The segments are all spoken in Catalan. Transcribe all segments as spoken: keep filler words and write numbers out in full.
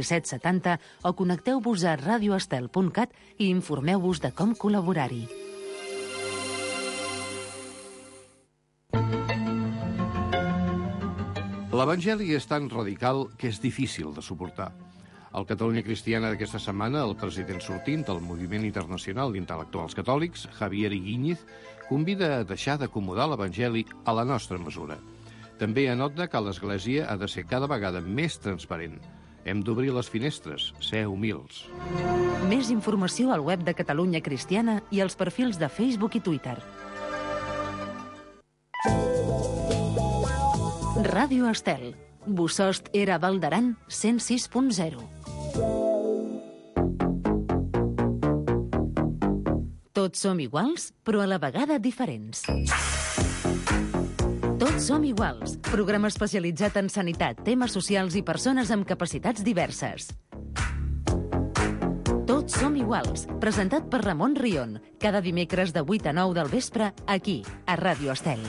set setanta o connecteu-vos a radio estel punt cat i informeu-vos de com col·laborar-hi. L'Evangeli és tan radical que és difícil de suportar. Al Catalunya Cristiana d'aquesta setmana, el president sortint del Moviment Internacional d'Intel·lectuals Catòlics, Javier Igíñez, convida a deixar d'acomodar l'Evangeli a la nostra mesura. També anota que l'Església ha de ser cada vegada més transparent. Hem d'obrir les finestres, ser humils. Més informació al web de Catalunya Cristiana i als perfils de Facebook i Twitter. Ràdio Estel. Bosost era Val d'Aran, cent sis punt zero. Tots som iguals, però a la vegada diferents. Tots som iguals. Programa especialitzat en sanitat, temes socials i persones amb capacitats diverses. Tots som iguals. Presentat per Ramon Rion. Cada dimecres de vuit a nou del vespre, aquí, a Ràdio Estel.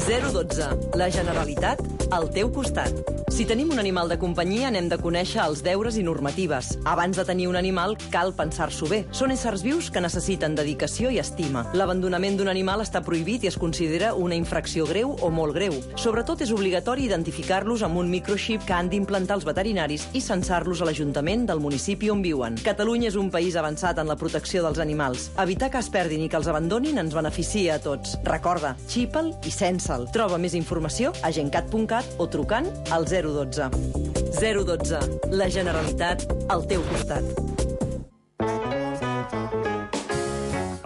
zero dotze. La Generalitat al teu costat. Si tenim un animal de companyia, n'hem de conèixer els deures i normatives. Abans de tenir un animal, cal pensar-s'ho bé. Són éssers vius que necessiten dedicació i estima. L'abandonament d'un animal està prohibit i es considera una infracció greu o molt greu. Sobretot és obligatori identificar-los amb un microxip que han d'implantar els veterinaris i censar-los a l'Ajuntament del municipi on viuen. Catalunya és un país avançat en la protecció dels animals. Evitar que es perdin i que els abandonin ens beneficia a tots. Recorda, xipa'l i censa'l. Troba més informació a gencat punt cat o trucant al zero dotze. zero dotze. La Generalitat al teu costat.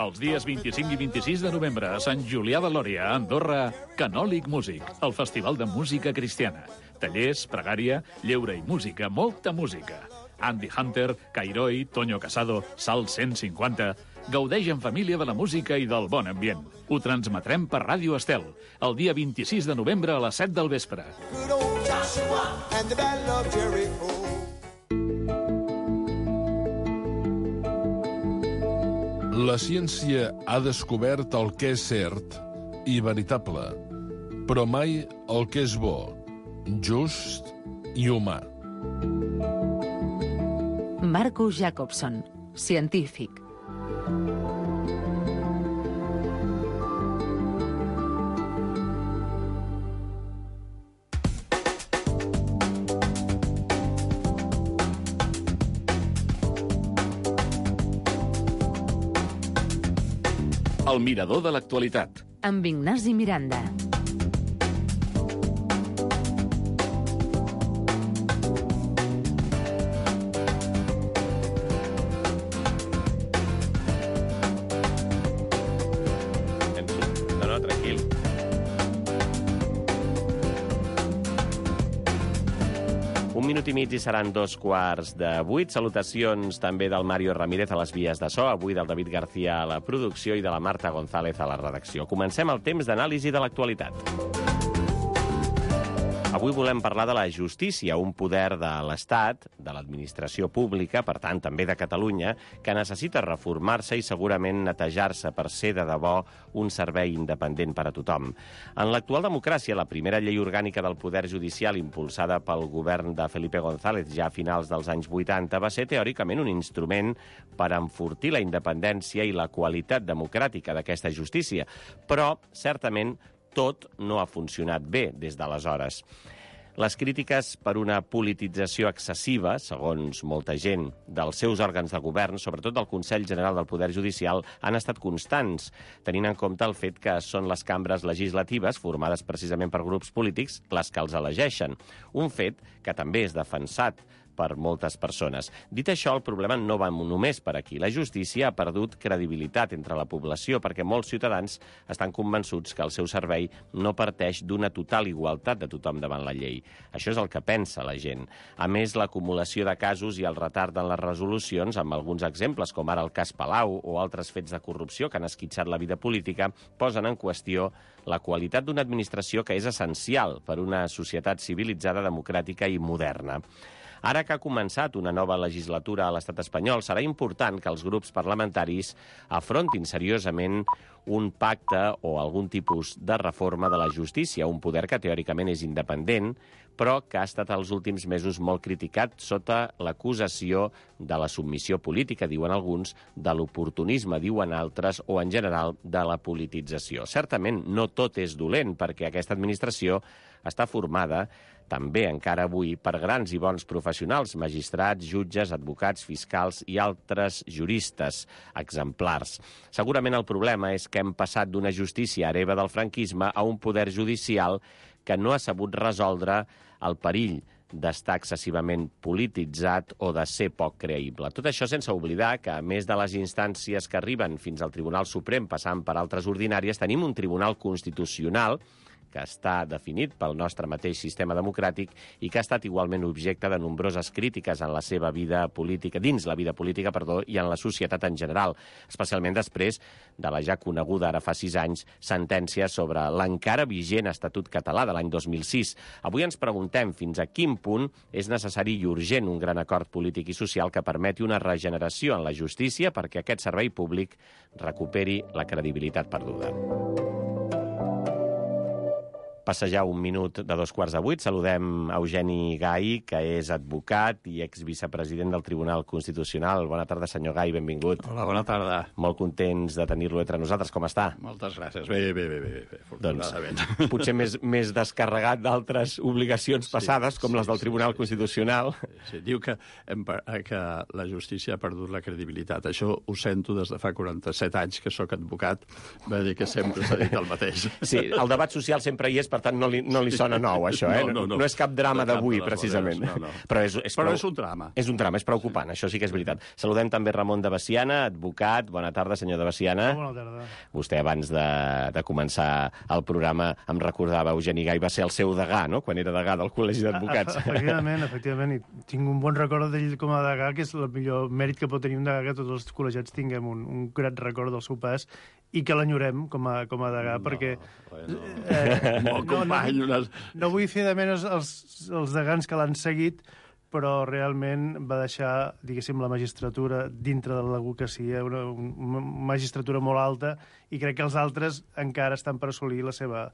Els dies vint-i-cinc i vint-i-sis de novembre a Sant Julià de Lòria, a Andorra, Canòlic Músic, el festival de música cristiana. Tallers, pregària, lleure i música, molta música. Andy Hunter, Cairoi, Toño Casado, Sal cent cinquanta... Gaudeix en família de la música i del bon ambient. Ho transmetrem per Ràdio Estel, el dia vint-i-sis de novembre a les set del vespre. La ciència ha descobert el que és cert i veritable, però mai el que és bo, just i humà. Marco Jacobson, científic. El mirador de l'actualitat. Amb Ignasi Miranda. No, no, tranquil. Un minut i mig i seran dos quarts de vuit. Salutacions també del Mario Ramírez a les vies de so, avui del David García a la producció i de la Marta González a la redacció. Comencem el temps d'anàlisi de l'actualitat. Avui volem parlar de la justícia, un poder de l'Estat, de l'administració pública, per tant també de Catalunya, que necessita reformar-se i segurament netejar-se per ser de debò un servei independent per a tothom. En l'actual democràcia, la primera llei orgànica del poder judicial impulsada pel govern de Felipe González ja a finals dels anys vuitanta va ser teòricament un instrument per enfortir la independència i la qualitat democràtica d'aquesta justícia, però certament tot no ha funcionat bé des d'aleshores. Les crítiques per una politització excessiva, segons molta gent, dels seus òrgans de govern, sobretot del Consell General del Poder Judicial, han estat constants, tenint en compte el fet que són les cambres legislatives, formades precisament per grups polítics, les que els elegeixen. Un fet que també és defensat per moltes persones. Dit això, el problema no va només per aquí. La justícia ha perdut credibilitat entre la població perquè molts ciutadans estan convençuts que el seu servei no parteix d'una total igualtat de tothom davant la llei. Això és el que pensa la gent. A més, l'acumulació de casos i el retard en les resolucions, amb alguns exemples, com ara el cas Palau o altres fets de corrupció que han esquitxat la vida política, posen en qüestió la qualitat d'una administració que és essencial per una societat civilitzada, democràtica i moderna. Ara que ha començat una nova legislatura a l'estat espanyol, serà important que els grups parlamentaris afrontin seriosament un pacte o algun tipus de reforma de la justícia, un poder que teòricament és independent, però que ha estat els últims mesos molt criticat sota l'acusació de la submissió política, diuen alguns, de l'oportunisme, diuen altres, o en general de la politització. Certament no tot és dolent, perquè aquesta administració està formada també encara avui per grans i bons professionals, magistrats, jutges, advocats, fiscals i altres juristes exemplars. Segurament el problema és que hem passat d'una justícia hereva del franquisme a un poder judicial que no ha sabut resoldre el perill d'estar excessivament polititzat o de ser poc creïble. Tot això sense oblidar que, a més de les instàncies que arriben fins al Tribunal Suprem passant per altres ordinàries, tenim un Tribunal Constitucional que està definit pel nostre mateix sistema democràtic i que ha estat igualment objecte de nombroses crítiques en la seva vida política, dins la vida política, perdó, i en la societat en general, especialment després de la ja coneguda, ara fa sis anys, sentència sobre l'encara vigent Estatut Català de l'any dos mil sis. Avui ens preguntem fins a quin punt és necessari i urgent un gran acord polític i social que permeti una regeneració en la justícia perquè aquest servei públic recuperi la credibilitat perduda. Passa ja un minut de dos quarts de vuit. Saludem Eugeni Gai, que és advocat i exvicepresident del Tribunal Constitucional. Bona tarda, senyor Gai, benvingut. Hola, bona tarda. Molt contents de tenir-lo entre nosaltres. Com està? Moltes gràcies. Bé, bé, bé, bé, bé afortunadament. Doncs, potser més, més descarregat d'altres obligacions passades, sí, com sí, les del Tribunal sí, Constitucional. Sí, sí. Diu que, hem, que la justícia ha perdut la credibilitat. Això ho sento des de fa quaranta-set anys que sóc advocat. Va dir que sempre s'ha dit el mateix. Sí, el debat social sempre hi és, per tant, no li, no li sona nou, això, eh? No, no, no. no és cap drama no d'avui, precisament. No, no. Però, és, és, Però prou... és un drama. És un drama, és preocupant, sí. Això sí que és veritat. Saludem també Ramon de Veciana, advocat. Bona tarda, senyor de Veciana. Bona tarda. Vostè, abans de, de començar el programa, em recordava, Eugeni Gai va ser el seu degà, no?, quan era degà del Col·legi d'Advocats. Efectivament, efectivament. I tinc un bon record d'ell com a degà, que és el millor mèrit que pot tenir un degà, que tots els col·legiats tinguem un, un grat record del seu pas i que l'enyorem com a, com a degà, no, perquè... Bueno, eh, molt company, no, no, unes... no vull fer de menys els, els degans que l'han seguit, però realment va deixar, diguéssim, la magistratura dintre de l'advocacia, una, una magistratura molt alta, i crec que els altres encara estan per assolir la seva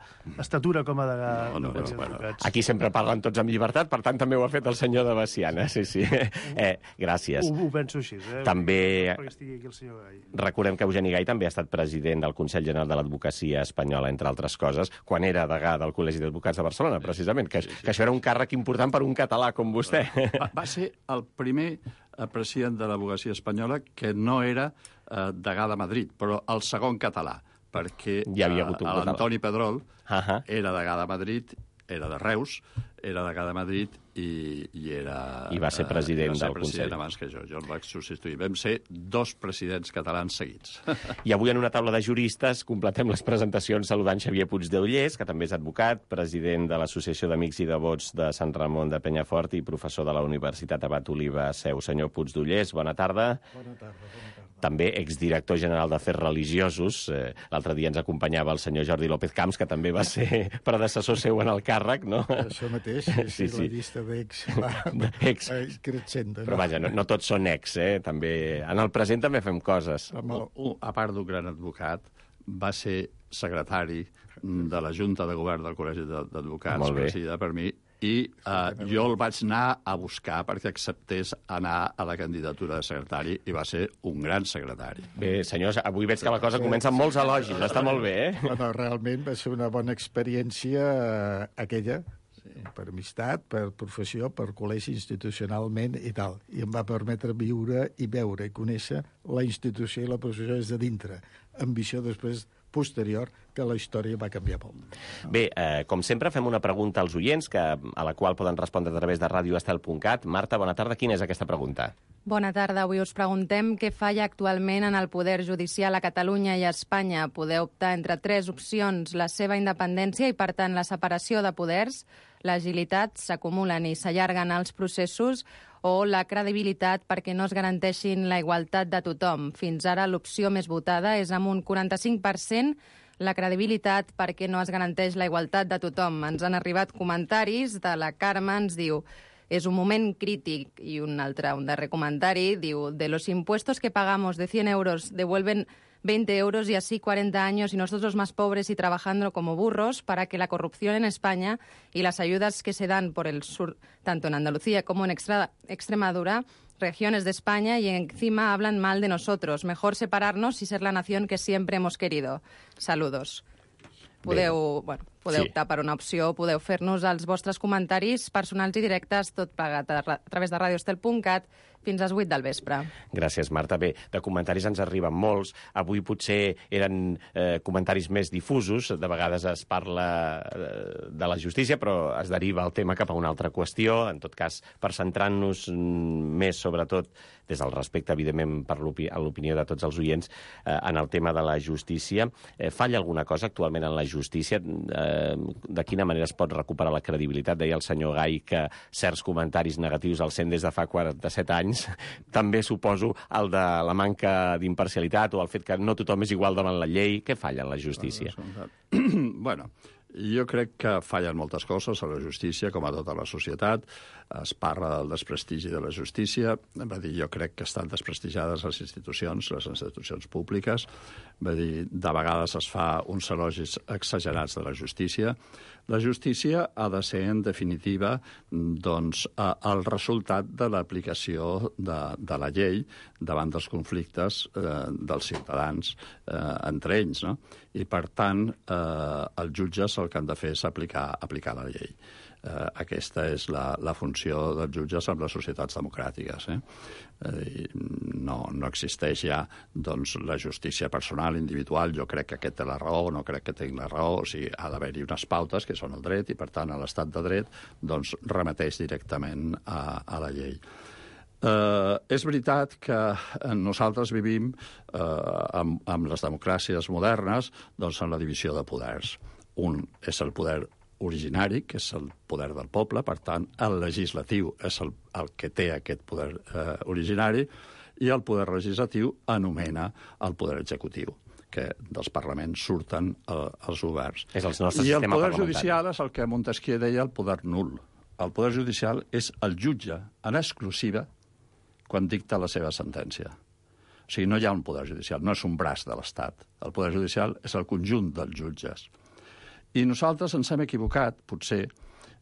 estatura com a degà. No, no, no, bueno. Aquí sempre parlen tots amb llibertat, per tant també ho ha fet el senyor de Veciana, sí, sí. Eh, gràcies. Ho, ho penso així, eh? També... Perquè estigui aquí el senyor Gai. Recordem que Eugeni Gai també ha estat president del Consell General de l'Advocacia Espanyola, entre altres coses, quan era degà del Col·legi d'Advocats de Barcelona, precisament, que, sí, sí. que això era un càrrec important per un català com vostè. Va, va ser el primer president de l'advocacia espanyola que no era eh, degà de Madrid, però el segon català, perquè ja havia hagut un eh, l'Antoni Pedrol uh -huh. era degà de Madrid, era de Reus, era degà de Madrid i, i era... I va ser president va ser del president Consell. abans que jo. Jo el vaig substituir. Vam ser dos presidents catalans seguits. I avui en una taula de juristes completem les presentacions saludant Xavier Puigdeullers, que també és advocat, president de l'Associació d'Amics i Devots de Sant Ramon de Penyafort i professor de la Universitat Abat Oliva Seu. Senyor Puigdeullers, bona tarda. Bona tarda, bona tarda. També exdirector general d'Afers Religiosos. Eh, L'altre dia ens acompanyava el senyor Jordi López Camps, que també va ser predecessor seu en el càrrec, no? Això mateix, sí, sí, sí. La llista d'ex va, ex. va creixent. No? Però vaja, no, no tots són ex, eh? També, en el present també fem coses. El... A part d'un gran advocat, va ser secretari de la Junta de Govern del Col·legi d'Advocats, presidida per mi, i uh, jo el vaig anar a buscar perquè acceptés anar a la candidatura de secretari i va ser un gran secretari. Bé, senyors, avui veig que la cosa comença amb molts elogis, està molt bé, eh? Bueno, realment va ser una bona experiència uh, aquella, sí. Per amistat, per professió, per col·legi institucionalment i tal. I em va permetre viure i veure i conèixer la institució i la professió des de dintre. Ambició després posterior, que la història va canviar molt. Bé, eh, com sempre, fem una pregunta als oients, que, a la qual poden respondre a través de radio estel punt cat. Marta, bona tarda. Quina és aquesta pregunta? Bona tarda. Avui us preguntem què falla actualment en el poder judicial a Catalunya i a Espanya. Poder optar entre tres opcions: la seva independència i, per tant, la separació de poders, l'agilitat, s'acumulen i s'allarguen els processos, o la credibilitat perquè no es garanteixin la igualtat de tothom. Fins ara l'opció més votada és amb un quaranta-cinc per cent la credibilitat perquè no es garanteix la igualtat de tothom. Ens han arribat comentaris de la Carme, ens diu: Es un moment crític. Y un altre, un darrer comentari, diu, de los impuestos que pagamos de cien euros devuelven veinte euros y así cuarenta años y nosotros más pobres y trabajando como burros para que la corrupción en España y las ayudas que se dan por el sur, tanto en Andalucía como en Extra- Extremadura, regiones de España, y encima hablan mal de nosotros. Mejor separarnos y ser la nación que siempre hemos querido. Saludos. Podeu, bueno, podeu sí. optar per una opció, podeu fer-nos els vostres comentaris personals i directes, tot plegat a, a través de radiostel punt cat fins a les vuit del vespre. Gràcies, Marta. Bé, de comentaris ens arriben molts. Avui potser eren eh, comentaris més difusos. De vegades es parla eh, de la justícia, però es deriva el tema cap a una altra qüestió. En tot cas, per centrar-nos més, sobretot, des del respecte, evidentment, per l'opi- a l'opinió de tots els oients, eh, en el tema de la justícia. Eh, falla alguna cosa actualment en la justícia? Eh, de quina manera es pot recuperar la credibilitat? Deia el senyor Gai que certs comentaris negatius els sent des de fa quaranta-set anys. També suposo el de la manca d'imparcialitat o el fet que no tothom és igual davant la llei. Què falla en la justícia? Bueno, jo crec que fallen moltes coses a la justícia, com a tota la societat. Es parla del desprestigi de la justícia. Va dir, jo crec que estan desprestigiades les institucions, les institucions públiques. Va dir, de vegades es fa uns elogis exagerats de la justícia. La justícia ha de ser, en definitiva, doncs, el resultat de l'aplicació de, de la llei davant dels conflictes eh, dels ciutadans eh, entre ells, no? I, per tant, eh, els jutges el que han de fer és aplicar, aplicar la llei. Eh, aquesta és la, la funció dels jutges en les societats democràtiques. Eh? Eh, no, no existeix ja doncs, la justícia personal, individual. Jo crec que aquest té la raó, no crec que tingui la raó. O sigui, ha d'haver-hi unes pautes que són el dret i, per tant, a l'estat de dret doncs, remeteix directament a, a la llei. Uh, és veritat que nosaltres vivim uh, amb, amb les democràcies modernes doncs, en la divisió de poders. Un és el poder originari, que és el poder del poble, per tant, el legislatiu és el, el que té aquest poder uh, originari, i el poder legislatiu anomena el poder executiu, que dels parlaments surten uh, els governs. És el nostre I el sistema poder parlamentari. judicial és el que Montesquieu deia el poder nul. El poder judicial és el jutge en exclusiva quan dicta la seva sentència. O sigui, no hi ha un poder judicial, no és un braç de l'Estat. El poder judicial és el conjunt dels jutges. I nosaltres ens hem equivocat, potser,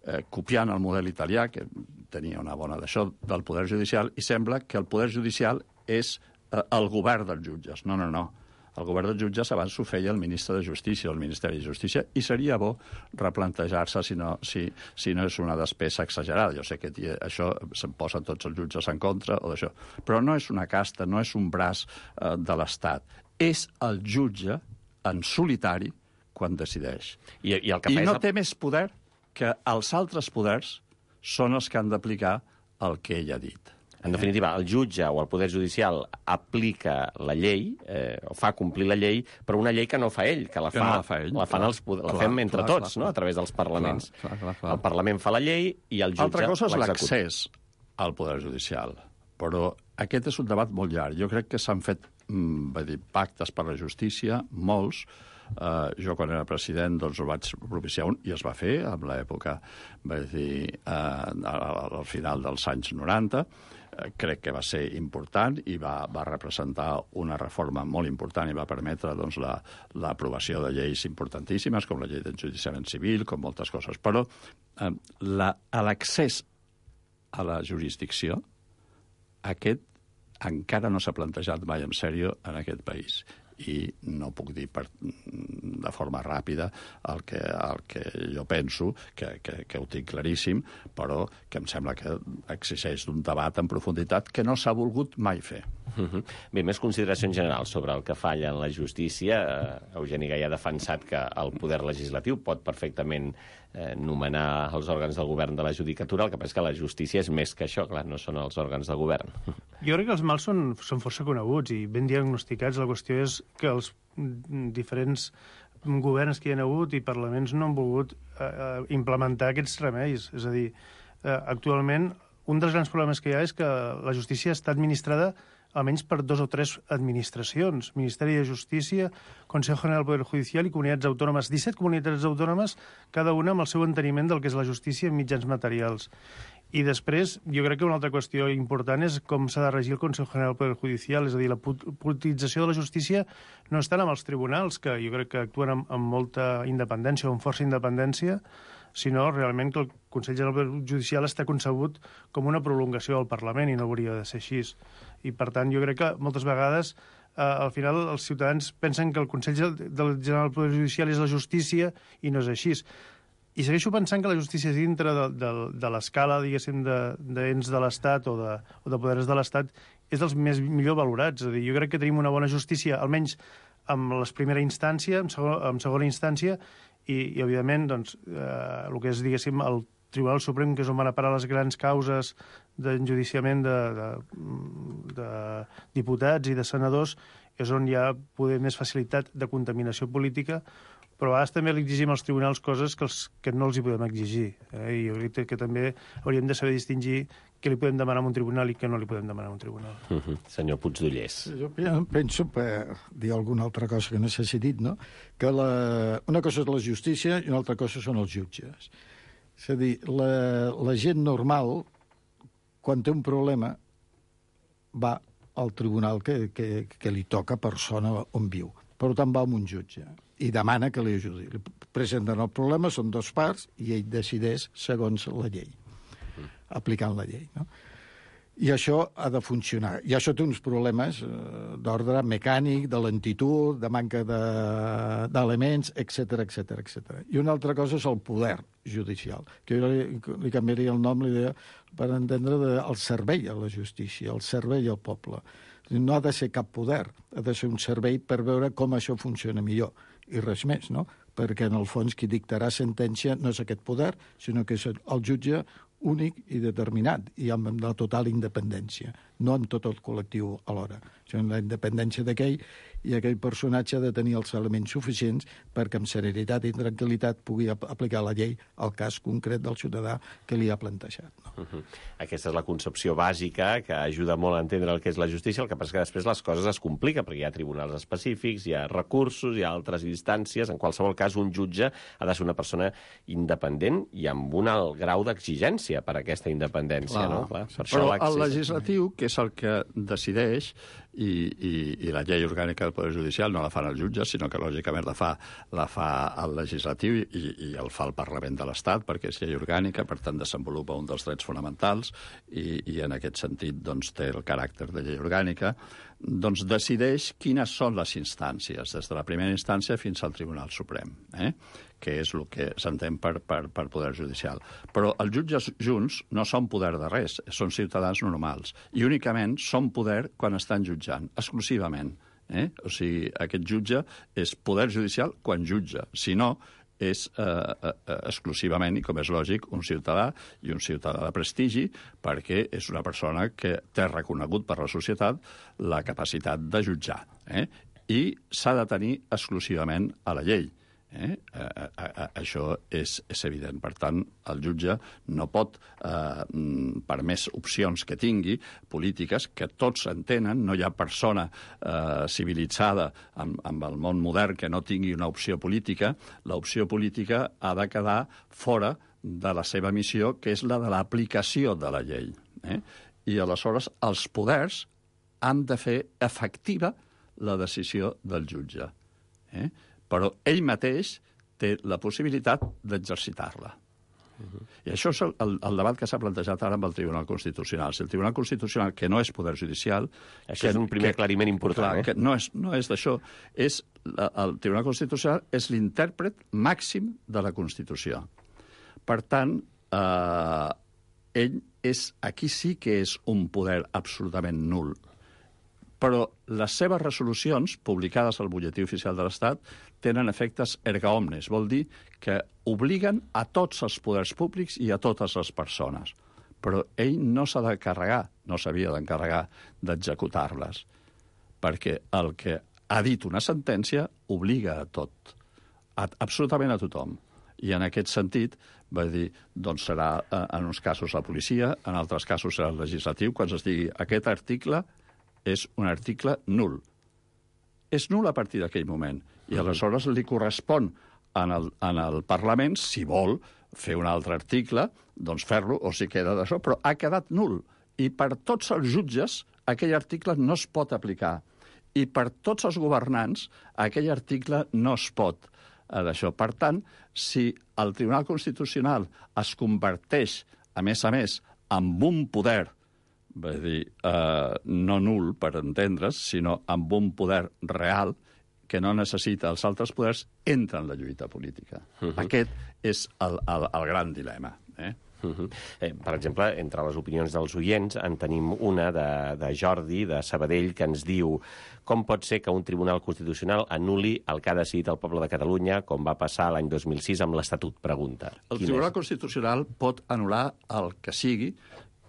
eh, copiant el model italià, que tenia una bona d'això, del poder judicial, i sembla que el poder judicial és eh, el govern dels jutges. No, no, no. El govern dels jutges abans ho feia el ministre de Justícia, el Ministeri de Justícia, i seria bo replantejar-se si no, si, si no és una despesa exagerada. Jo sé que això se'n posen tots els jutges en contra o d'això, però no és una casta, no és un braç eh, de l'Estat. És el jutge en solitari quan decideix. I, i, el que I no és... té més poder que els altres poders són els que han d'aplicar el que ell ha dit. En definitiva, el jutge o el Poder Judicial aplica la llei, eh, o fa complir la llei, però una llei que no fa ell, que la, que fa, no la, fa ell, la, fan els, la clar, fem entre clar, tots, clar, no? A través dels parlaments. Clar, clar, clar, clar. El Parlament fa la llei i el jutge Altra cosa és l'executa. l'accés al Poder Judicial, però aquest és un debat molt llarg. Jo crec que s'han fet mm, dir, pactes per la justícia, molts. Uh, jo, quan era president, doncs ho vaig propiciar un, i es va fer en l'època, vaig dir, uh, al, al final dels anys noranta. Crec que va ser important i va, va representar una reforma molt important i va permetre doncs, la, l'aprovació de lleis importantíssimes, com la llei d'enjudiciament civil, com moltes coses. Però eh, la, l'accés a la jurisdicció, aquest encara no s'ha plantejat mai en sèrio en aquest país. I no puc dir per, de forma ràpida el que, el que jo penso, que, que, que ho tinc claríssim, però que em sembla que exigeix d'un debat en profunditat que no s'ha volgut mai fer. Uh-huh. Bé, més consideracions generals sobre el que falla en la justícia. Uh, Eugeni Gai ha defensat que el poder legislatiu pot perfectament eh, nomenar els òrgans del govern de la judicatura. El que passa és que la justícia és més que això, clar, no són els òrgans de govern. Jo crec que els mals són, són força coneguts i ben diagnosticats. La qüestió és que els diferents governs que hi ha hagut i parlaments no han volgut eh, implementar aquests remeis. És a dir, eh, actualment un dels grans problemes que hi ha és que la justícia està administrada almenys per dos o tres administracions, Ministeri de Justícia, Consejo General del Poder Judicial i comunitats autònomes, disset comunitats autònomes, cada una amb el seu enteniment del que és la justícia en mitjans materials. I després, jo crec que una altra qüestió important és com s'ha de regir el Consejo General del Poder Judicial, és a dir, la politització de la justícia no és tant amb els tribunals, que jo crec que actuen amb, amb molta independència o amb força independència, sinó realment que el Consell General del Poder Judicial està concebut com una prolongació del Parlament i no hauria de ser així. I, per tant, jo crec que moltes vegades, eh, al final, els ciutadans pensen que el Consell General del Poder Judicial és la justícia i no és així. I segueixo pensant que la justícia és dintre de, de, de l'escala, diguéssim, d'ens de, de l'Estat o, de, o de poders de l'Estat, és dels més millor valorats. És a dir, jo crec que tenim una bona justícia, almenys en la primera instància, en, segon, en segona instància, i, i evidentment, doncs, eh, el que és, diguéssim, el Tribunal Suprem, que és on van a parar les grans causes d'enjudiciament de, de, de diputats i de senadors, és on hi ha poder més facilitat de contaminació política, però a vegades també li exigim als tribunals coses que, els, que no els hi podem exigir. Eh? I jo crec que també hauríem de saber distingir què li podem demanar a un tribunal i què no li podem demanar a un tribunal. Uh -huh. Senyor Puigdollers. Jo penso, per dir alguna altra cosa que no s'ha dit, no? que la... una cosa és la justícia i una altra cosa són els jutges. És a dir, la, la gent normal, quan té un problema, va al tribunal que, que, que li toca per zona on viu. Per tant, va amb un jutge i demana que li ajudi. Li presenten el problema, són dos parts, i ell decideix segons la llei, aplicant la llei. No? I això ha de funcionar. I això té uns problemes eh, d'ordre mecànic, de lentitud, de manca d'elements, de, etcètera, etcètera, etcètera. I una altra cosa és el poder judicial, que jo li, li canviaria el nom, li deia, per entendre de, el servei a la justícia, el servei al poble. No ha de ser cap poder, ha de ser un servei per veure com això funciona millor. I res més, no? Perquè, en el fons, qui dictarà sentència no és aquest poder, sinó que és el jutge únic i determinat, i amb la total independència, no amb tot el col·lectiu alhora. Això és la independència d'aquell, i aquell personatge ha de tenir els elements suficients perquè amb serenitat i tranquil·litat pugui ap aplicar la llei al cas concret del ciutadà que li ha plantejat. No? Uh -huh. Aquesta és la concepció bàsica que ajuda molt a entendre el que és la justícia, el que passa que després les coses es compliquen, perquè hi ha tribunals específics, hi ha recursos, hi ha altres instàncies. En qualsevol cas, un jutge ha de ser una persona independent i amb un alt grau d'exigència per a aquesta independència. Clar. No? Clar, per Però això el legislatiu, que és el que decideix, i, i, i la llei orgànica del Poder Judicial no la fan els jutges, sinó que lògicament la fa, la fa el legislatiu i, i el fa el Parlament de l'Estat, perquè és llei orgànica, per tant desenvolupa un dels drets fonamentals i, i en aquest sentit doncs, té el caràcter de llei orgànica, doncs decideix quines són les instàncies, des de la primera instància fins al Tribunal Suprem, eh? que és el que s'entén per, per, per poder judicial. Però els jutges junts no són poder de res, són ciutadans normals, i únicament són poder quan estan jutjant, exclusivament. Eh? O sigui, aquest jutge és poder judicial quan jutja, si no, és eh, eh, exclusivament, i com és lògic, un ciutadà i un ciutadà de prestigi, perquè és una persona que té reconegut per la societat la capacitat de jutjar. Eh? I s'ha de tenir exclusivament a la llei. Eh? Eh, eh, eh, això és, és evident. Per tant, el jutge no pot, eh, per més opcions que tingui, polítiques, que tots entenen, no hi ha persona eh, civilitzada amb, amb el món modern que no tingui una opció política, l'opció política ha de quedar fora de la seva missió, que és la de l'aplicació de la llei. Eh? I aleshores els poders han de fer efectiva la decisió del jutge. Eh? Però ell mateix té la possibilitat d'exercitar-la. Uh-huh. I això és el, el debat que s'ha plantejat ara amb el Tribunal Constitucional. Si el Tribunal Constitucional, que no és poder judicial... Això que, és un primer que, aclariment important, clar, eh? Que no és, no és d'això. És, el Tribunal Constitucional és l'intèrpret màxim de la Constitució. Per tant, eh, ell és, aquí sí que és un poder absolutament nul. Però les seves resolucions, publicades al Butlletí Oficial de l'Estat, tenen efectes erga omnes. Vol dir que obliguen a tots els poders públics i a totes les persones. Però ell no s'ha de carregar, no s'havia d'encarregar d'executar-les, perquè el que ha dit una sentència obliga a tot, a, absolutament a tothom. I en aquest sentit, va dir, doncs serà en uns casos la policia, en altres casos serà el legislatiu, quan es digui aquest article és un article nul. És nul a partir d'aquell moment. I aleshores li correspon en el, en el Parlament, si vol fer un altre article, doncs fer-lo, o si queda d'això, però ha quedat nul. I per tots els jutges aquell article no es pot aplicar. I per tots els governants aquell article no es pot d'això. Per tant, si el Tribunal Constitucional es converteix, a més a més, en un poder, vull dir, eh, no nul, per entendre's, sinó amb un poder real que no necessita els altres poders, entra en la lluita política. Uh -huh. Aquest és el, el, el gran dilema. Eh? Uh -huh. eh, per exemple, entre les opinions dels oients en tenim una de, de Jordi, de Sabadell, que ens diu: com pot ser que un tribunal constitucional anul·li el que ha decidit el poble de Catalunya, com va passar l'any dos mil sis amb l'Estatut? Pregunta. El Tribunal és? Constitucional pot anul·lar el que sigui,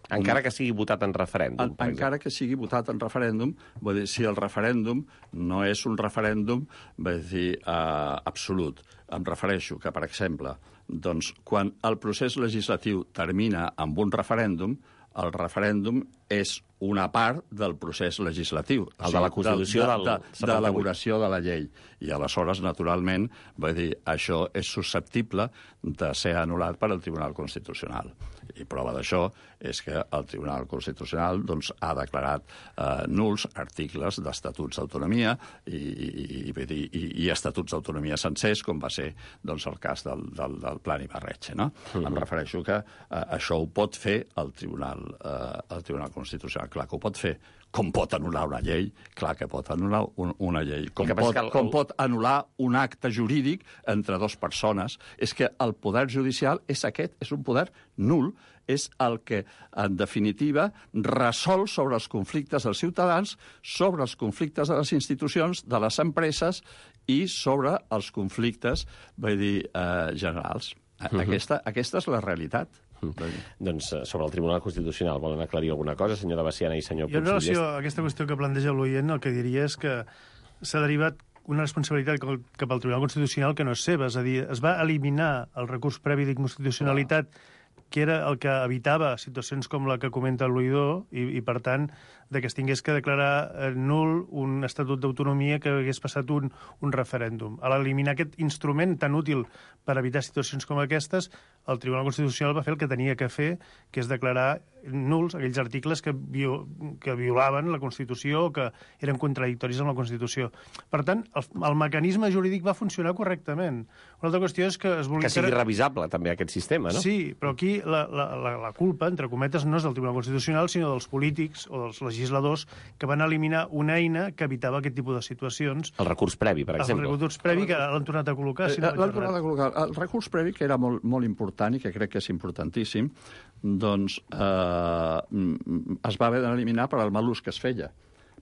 encara que sigui votat en referèndum. En, encara que sigui votat en referèndum, vull dir, si el referèndum no és un referèndum, vull dir, eh, absolut. Em refereixo que, per exemple, doncs, quan el procés legislatiu termina amb un referèndum, el referèndum és una part del procés legislatiu. El de la Constitució de, del de, de, de l'elaboració de la llei. I aleshores, naturalment, vull dir, això és susceptible de ser anul·lat per al Tribunal Constitucional. I prova d'això és que el Tribunal Constitucional doncs, ha declarat eh, nuls articles d'estatuts d'autonomia i, i, i, i, i estatuts d'autonomia sencers, com va ser doncs, el cas del, del, del Plan Ibarretxe. No? Uh -huh. Em refereixo que eh, això ho pot fer el Tribunal, eh, el Tribunal Constitucional. Clar que ho pot fer. Com pot anul·lar una llei? Clar que pot anul·lar un, una llei. Com, pot, el... com pot anul·lar un acte jurídic entre dues persones? És que el poder judicial és aquest, és un poder nul, és el que, en definitiva, resol sobre els conflictes dels ciutadans, sobre els conflictes de les institucions, de les empreses i sobre els conflictes, vull dir, eh, generals. Uh-huh. Aquesta, aquesta és la realitat. Mm. Doncs sobre el Tribunal Constitucional volen aclarir alguna cosa, senyor de Baciana i senyor Puigdellers? Jo, en relació a aquesta qüestió que planteja l'oient, el que diria és que s'ha derivat una responsabilitat cap al Tribunal Constitucional que no és seva. És a dir, es va eliminar el recurs previ d'inconstitucionalitat, que era el que evitava situacions com la que comenta l'oïdor, i, i per tant, de que es tingués que declarar eh, nul un estatut d'autonomia que hagués passat un, un referèndum. A l'eliminar aquest instrument tan útil per evitar situacions com aquestes, el Tribunal Constitucional va fer el que tenia que fer, que és declarar nuls aquells articles que, viol, que violaven la Constitució o que eren contradictoris amb la Constitució. Per tant, el, el mecanisme jurídic va funcionar correctament. Una altra qüestió és que es vulgui... Que sigui revisable, també, aquest sistema, no? Sí, però aquí la, la, la, la culpa, entre cometes, no és del Tribunal Constitucional, sinó dels polítics o dels legisladors que van eliminar una eina que evitava aquest tipus de situacions. El recurs previ, per exemple. El recurs previ, que l'han tornat a col·locar. Si no l'han tornat a col·locar. El recurs previ, que era molt, molt important i que crec que és importantíssim, doncs eh, es va haver d'eliminar per al mal ús que es feia,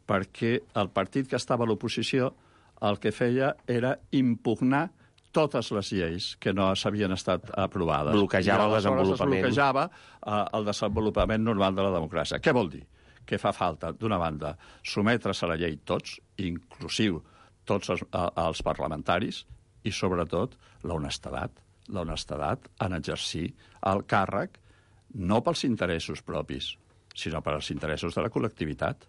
perquè el partit que estava a l'oposició el que feia era impugnar totes les lleis que no s'havien estat aprovades. Bloquejava el desenvolupament. Bloquejava eh, el desenvolupament normal de la democràcia. Què vol dir? Que fa falta, d'una banda, sometre's a la llei tots, inclusiu tots els, els parlamentaris, i sobretot l'honestedat. L'honestedat en exercir el càrrec no pels interessos propis, sinó pels interessos de la col·lectivitat.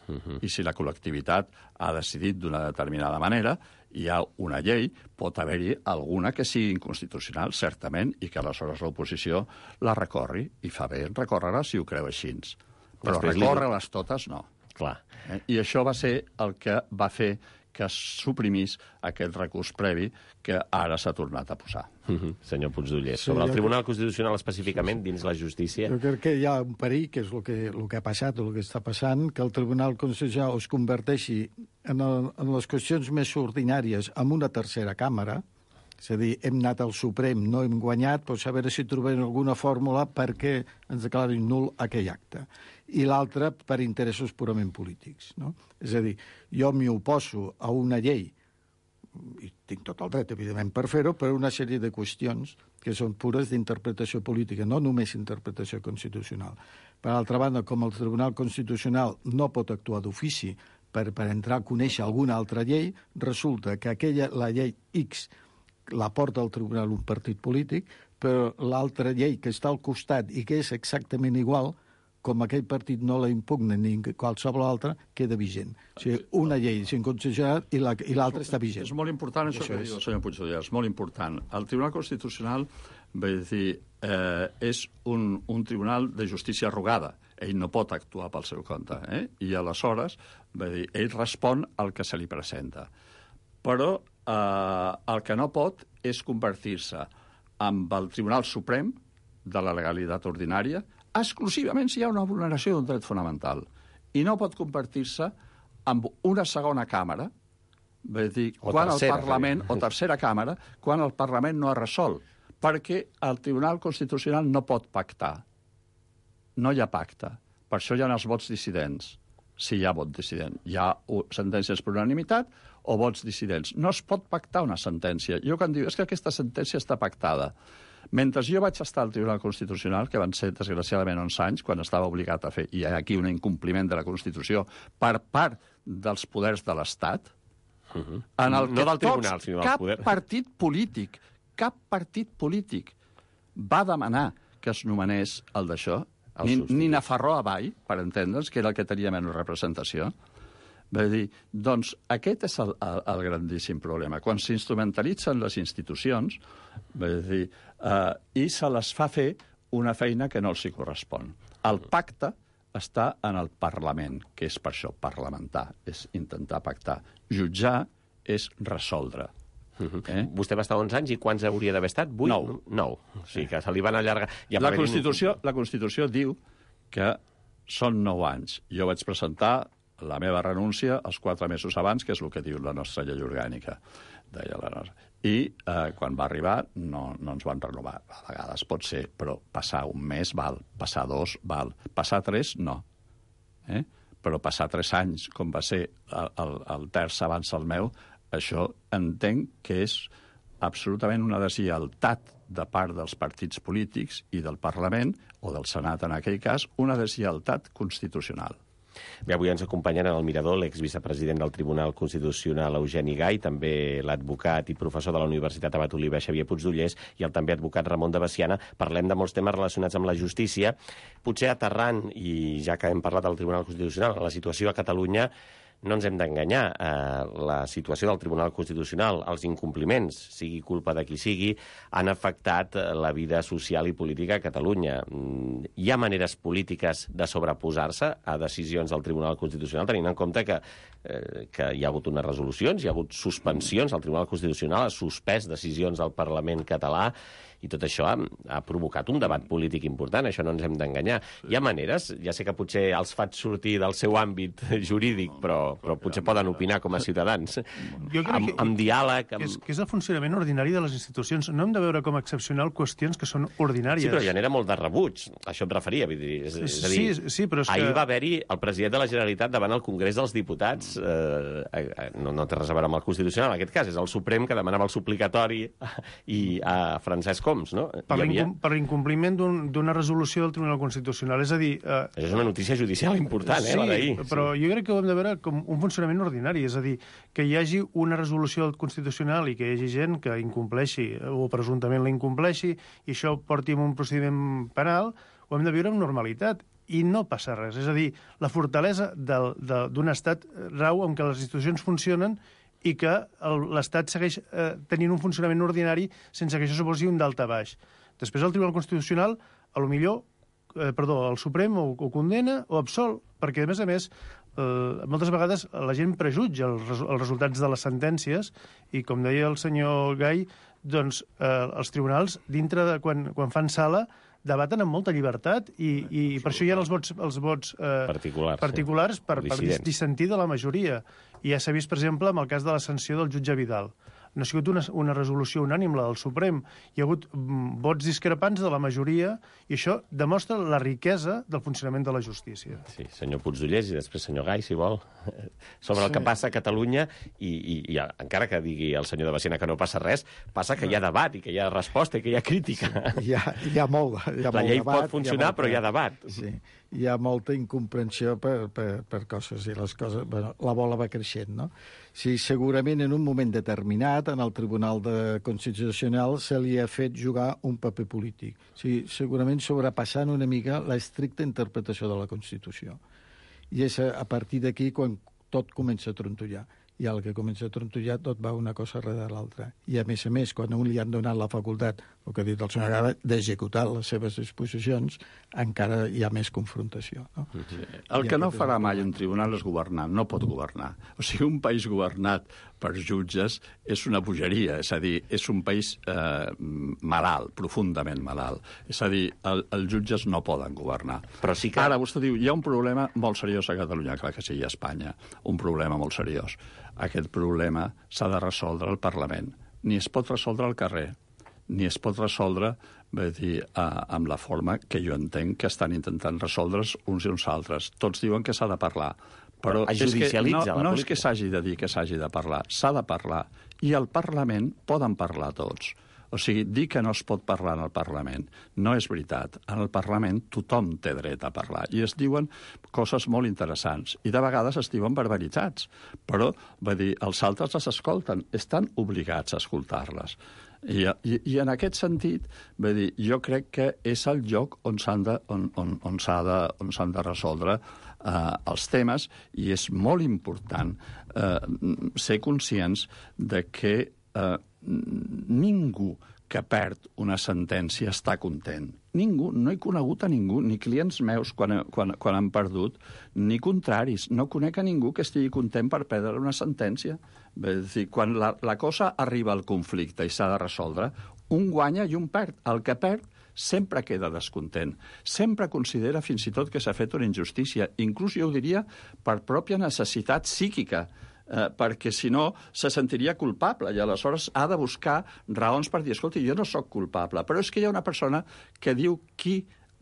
Uh-huh. I si la col·lectivitat ha decidit d'una determinada manera, hi ha una llei, pot haver-hi alguna que sigui inconstitucional, certament, i que aleshores l'oposició la recorri, i fa bé en recórrer-la si ho creu així. Però recórrer-les totes, no. Clar. Eh? I això va ser el que va fer que es suprimís aquest recurs previ que ara s'ha tornat a posar. Uh-huh. Senyor Puigdellers, sí, sobre el Tribunal que... Constitucional específicament, sí, sí. dins la justícia... Jo crec que hi ha un perill, que és el que, el que ha passat, el que està passant, que el Tribunal Constitucional es converteixi en, el, en les qüestions més ordinàries en una tercera càmera. És a dir, hem anat al Suprem, no hem guanyat, però a veure si trobem alguna fórmula perquè ens declarin nul aquell acte. I l'altra per interessos purament polítics. No? És a dir, jo m'hi oposo a una llei, i tinc tot el dret, evidentment, per fer-ho, per una sèrie de qüestions que són pures d'interpretació política, no només interpretació constitucional. Per altra banda, com el Tribunal Constitucional no pot actuar d'ofici per, per entrar a conèixer alguna altra llei, resulta que aquella, la llei X, la porta al tribunal un partit polític, però l'altra llei que està al costat i que és exactament igual, com aquell partit no la impugna ni qualsevol altra, queda vigent. O sigui, una llei és inconstitucional i l'altra està vigent. És molt important això, això que diu el senyor Puigdellers, és molt important. El Tribunal Constitucional, vull dir, eh, és un, un tribunal de justícia arrogada. Ell no pot actuar pel seu compte, eh? I aleshores, vull dir, ell respon al que se li presenta. Però eh, el que no pot és convertir-se amb el Tribunal Suprem de la legalitat ordinària exclusivament si hi ha una vulneració d'un dret fonamental. I no pot convertir-se en una segona càmera, vull dir, o quan tercera, el Parlament, o tercera càmera, quan el Parlament no ha resolt, perquè el Tribunal Constitucional no pot pactar. No hi ha pacte. Per això hi ha els vots dissidents. Si hi ha vot dissident. Hi ha sentències per unanimitat o vots dissidents. No es pot pactar una sentència. Jo quan diu, és que aquesta sentència està pactada. Mentre jo vaig estar al Tribunal Constitucional, que van ser, desgraciadament, onze anys, quan estava obligat a fer, i hi ha aquí un incompliment de la Constitució per part dels poders de l'Estat, uh-huh. en el no que del tribunal, tots, sinó del cap poder. partit polític, cap partit polític va demanar que es nomenés el d'això, ni, ni Nafarroa Avall, per entendre'ns, que era el que tenia menys representació. Vull dir, doncs aquest és el, el, el grandíssim problema. Quan s'instrumentalitzen les institucions, vull dir, eh, i se les fa fer una feina que no els hi correspon. El pacte està en el Parlament, que és per això parlamentar, és intentar pactar. Jutjar és resoldre. Uh-huh. Eh? Vostè va estar onze anys i quants hauria d'haver estat? Vuit? Nou. Nou. O sigui que se li van allargar. Ja la, Constitució, la Constitució diu que són nou anys. Jo vaig presentar la meva renúncia els quatre mesos abans, que és el que diu la nostra llei orgànica, deia la nostra. I eh, quan va arribar no, no ens van renovar. A vegades pot ser, però passar un mes val, passar dos val, passar tres no. Eh? Però passar tres anys, com va ser el, el, el terç abans el meu, això entenc que és absolutament una deslleialtat de part dels partits polítics i del Parlament, o del Senat en aquell cas, una deslleialtat constitucional. Bé, avui ens acompanyen en el Mirador l'exvicepresident del Tribunal Constitucional, Eugeni Gai, també l'advocat i professor de la Universitat Abat Oliver, Xavier Puigdollers, i el també advocat Ramon de Besiana. Parlem de molts temes relacionats amb la justícia. Potser aterrant, i ja que hem parlat del Tribunal Constitucional, la situació a Catalunya, no ens hem d'enganyar. Eh, la situació del Tribunal Constitucional, els incompliments, sigui culpa de qui sigui, han afectat la vida social i política a Catalunya. Hi ha maneres polítiques de sobreposar-se a decisions del Tribunal Constitucional, tenint en compte que, eh, que hi ha hagut unes resolucions, hi ha hagut suspensions, el Tribunal Constitucional ha suspès decisions del Parlament català, i tot això ha, ha provocat un debat polític important, això no ens hem d'enganyar. Hi ha maneres, ja sé que potser els faig sortir del seu àmbit jurídic, però, però potser poden opinar com a ciutadans. Jo crec amb, que, amb diàleg... Amb... Que, és, que és el funcionament ordinari de les institucions. No hem de veure com a excepcional qüestions que són ordinàries. Sí, però genera molt de rebuig. Això em referia. Vull dir, és, és a dir, sí, sí, però és ahir que... va haver-hi el president de la Generalitat davant el Congrés dels Diputats. Eh, eh, no, no té res a veure amb el Constitucional, en aquest cas. És el Suprem que demanava el suplicatori i a Francesc Homs, no? Per l'incompliment d'una resolució del Tribunal Constitucional. És a dir... Eh... Això és una notícia judicial important, eh, sí, la d'ahir. Però jo crec que ho hem de veure com un funcionament ordinari. És a dir, que hi hagi una resolució constitucional i que hi hagi gent que incompleixi o presumptament la incompleixi i això porti a un procediment penal, ho hem de viure amb normalitat. I no passa res. És a dir, la fortalesa d'un estat rau en què les institucions funcionen i que l'Estat segueix eh, tenint un funcionament ordinari sense que això suposi un daltabaix. Després el Tribunal Constitucional, a lo millor, eh, perdó, el Suprem o, o condena o absol, perquè, a més a més, eh, moltes vegades la gent prejutja els, res, els resultats de les sentències i, com deia el senyor Gai, doncs eh, els tribunals, dintre de quan, quan fan sala, debaten amb molta llibertat i, i per això hi ha els vots, els vots eh, particulars, particulars sí. per, per dissentir de la majoria. I ja s'ha vist, per exemple, amb el cas de la sanció del jutge Vidal. No ha sigut una, una resolució unànime, la del Suprem. Hi ha hagut mm, vots discrepants de la majoria i això demostra la riquesa del funcionament de la justícia. Sí, senyor Puigdollers i després senyor Gai, si vol, sobre sí. el que passa a Catalunya i, i, i encara que digui el senyor de Besiana que no passa res, passa que hi ha debat i que hi ha resposta i que hi ha crítica. Sí, hi, ha, hi ha molt, hi ha la molt llei debat, pot funcionar, molta, però hi ha debat. Sí, hi ha molta incomprensió per, per, per coses i les coses... Bueno, la bola va creixent, no? si segurament en un moment determinat en el Tribunal de Constitucional se li ha fet jugar un paper polític. Si segurament sobrepassant una mica l'estricta interpretació de la Constitució. I és a partir d'aquí quan tot comença a trontollar. I al que comença a trontollar tot va una cosa darrere l'altra. I a més a més, quan a un li han donat la facultat, el que ha dit el senyor Gava, d'executar les seves disposicions, encara hi ha més confrontació. No? Sí. El que no farà mai un tribunal és governar, no pot governar. O sigui, un país governat per jutges és una bogeria, és a dir, és un país eh, malalt, profundament malalt. És a dir, el, els jutges no poden governar. Però sí que... Ara, vostè diu, hi ha un problema molt seriós a Catalunya, clar que sí, i a Espanya, un problema molt seriós. Aquest problema s'ha de resoldre al Parlament. Ni es pot resoldre al carrer, ni es pot resoldre, vull dir, eh, amb la forma que jo entenc que estan intentant resoldre's uns i uns altres. Tots diuen que s'ha de parlar, però es és que judicialitza no, la no és política. que s'hagi de dir que s'hagi de parlar, s'ha de parlar. I al Parlament poden parlar tots. O sigui, dir que no es pot parlar en el Parlament no és veritat. En el Parlament tothom té dret a parlar i es diuen coses molt interessants i de vegades es diuen barbaritats, però, vull dir, els altres les escolten, estan obligats a escoltar-les. I, i, I en aquest sentit, vull dir, jo crec que és el lloc on s'han de, on, on, on s'ha de, on s'han de resoldre eh, els temes i és molt important eh, ser conscients de que eh, ningú que perd una sentència està content. Ningú, no he conegut a ningú, ni clients meus quan, quan, quan han perdut, ni contraris. No conec a ningú que estigui content per perdre una sentència. És dir, quan la, la cosa arriba al conflicte i s'ha de resoldre, un guanya i un perd. El que perd sempre queda descontent. Sempre considera fins i tot que s'ha fet una injustícia. Inclús jo ho diria per pròpia necessitat psíquica, eh, perquè si no se sentiria culpable i aleshores ha de buscar raons per dir, escolta, jo no sóc culpable, però és que hi ha una persona que diu qui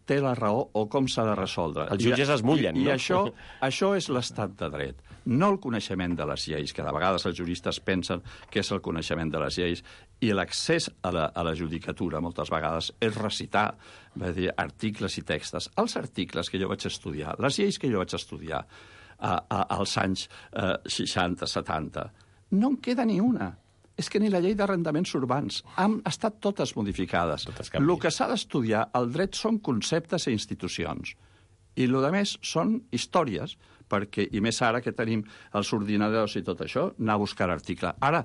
té la raó o com s'ha de resoldre. Els jutges I, es mullen, i, no? I això, això és l'estat de dret, no el coneixement de les lleis, que de vegades els juristes pensen que és el coneixement de les lleis, i l'accés a la, a la judicatura moltes vegades és recitar, va dir, articles i textos. Els articles que jo vaig estudiar, les lleis que jo vaig estudiar a, a, als anys eh, seixanta, setanta, no en queda ni una. És que ni la llei d'arrendaments urbans han estat totes modificades. Totes el que s'ha d'estudiar, el dret són conceptes i institucions. I el que més són històries, perquè, i més ara que tenim els ordinadors i tot això, anar a buscar article. Ara,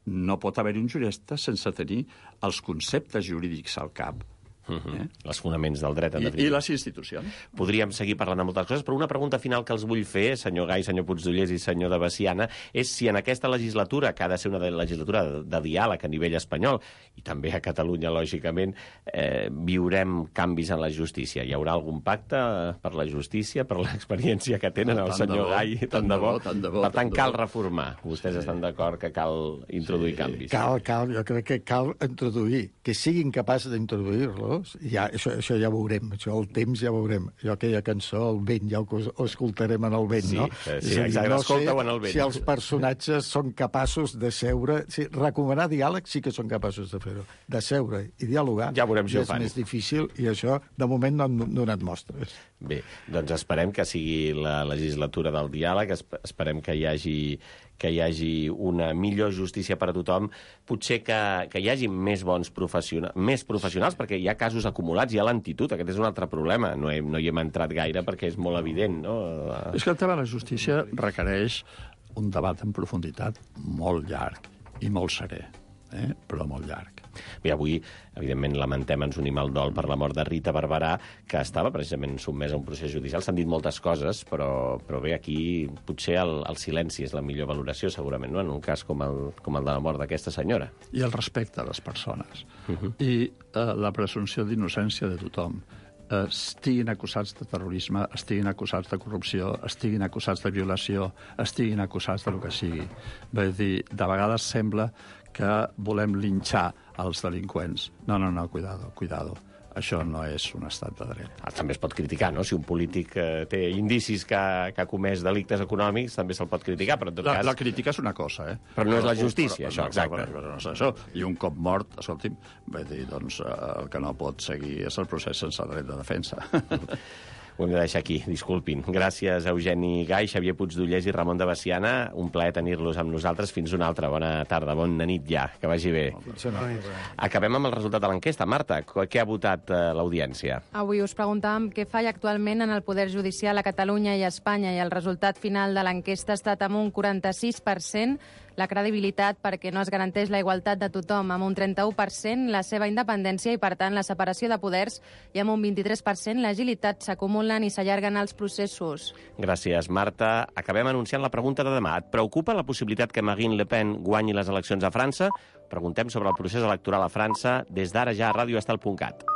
no pot haver-hi un jurista sense tenir els conceptes jurídics al cap. Uh-huh. Eh? Els fonaments del dret, en I, definitiva. I les institucions. Podríem seguir parlant de moltes coses, però una pregunta final que els vull fer, senyor Gai, senyor Puigdollers i senyor de Veciana, és si en aquesta legislatura, que ha de ser una legislatura de, de diàleg a nivell espanyol, i també a Catalunya, lògicament, eh, viurem canvis en la justícia. Hi haurà algun pacte per la justícia, per l'experiència que tenen el senyor Gai? Tant de bo. Tant de bo. Per tant, cal reformar. Vostès sí. estan d'acord que cal introduir sí. canvis. Cal, cal, jo crec que cal introduir, que siguin capaços d'introduir-lo. Ja, això, això ja veurem, això el temps ja veurem. Jo aquella cançó, el vent, ja ho, ho escoltarem en el vent, sí, no? Sí, exacte, no escolta-ho en el vent. Si els personatges són capaços de seure... Sí, recomanar diàleg sí que són capaços de fer-ho. De seure i dialogar ja veurem si ja ho fan. És més difícil i això, de moment, no han donat mostres. Bé, doncs esperem que sigui la legislatura del diàleg, esperem que hi hagi que hi hagi una millor justícia per a tothom, potser que, que hi hagi més bons professionals, més professionals, perquè hi ha casos acumulats, hi ha lentitud, aquest és un altre problema, no, he, no hi hem entrat gaire perquè és molt evident, no? És que el tema de la justícia requereix un debat en profunditat molt llarg i molt serè, eh? però molt llarg. Bé, avui, evidentment, lamentem, ens unim al dol per la mort de Rita Barberà, que estava precisament sotmesa a un procés judicial. S'han dit moltes coses, però, però bé, aquí potser el, el silenci és la millor valoració, segurament, no? En un cas com el, com el de la mort d'aquesta senyora. I el respecte a les persones. Uh-huh. I eh, la presumpció d'innocència de tothom. Eh, estiguin acusats de terrorisme, estiguin acusats de corrupció, estiguin acusats de violació, estiguin acusats de lo que sigui. Vull dir, de vegades sembla que volem linxar els delinqüents. No, no, no, cuidado, cuidado. Això no és un estat de dret. Ah, també es pot criticar, no? Si un polític eh, té indicis que, que ha comès delictes econòmics, també se'l pot criticar, però en tot la, cas... La crítica és una cosa, eh? Però no és la justícia, però, això, exacte. Però, però no és això. I un cop mort, escolti'm, vull dir, doncs, el que no pot seguir és el procés sense dret de defensa. Ho hem de deixar aquí, disculpin. Gràcies, Eugeni Gai, Xavier Puigdollers i Ramon de Baciana. Un plaer tenir-los amb nosaltres. Fins una altra. Bona tarda, bona nit ja. Que vagi bé. Acabem amb el resultat de l'enquesta. Marta, què ha votat eh, l'audiència? Avui us preguntàvem què falla actualment en el Poder Judicial a Catalunya i a Espanya, i el resultat final de l'enquesta ha estat amb un quaranta-sis per cent, la credibilitat perquè no es garanteix la igualtat de tothom, amb un trenta-u per cent la seva independència i, per tant, la separació de poders, i amb un vint-i-tres per cent l'agilitat, s'acumulen i s'allarguen els processos. Gràcies, Marta. Acabem anunciant la pregunta de demà. Et preocupa la possibilitat que Marine Le Pen guanyi les eleccions a França? Preguntem sobre el procés electoral a França des d'ara ja a radio estel punt cat.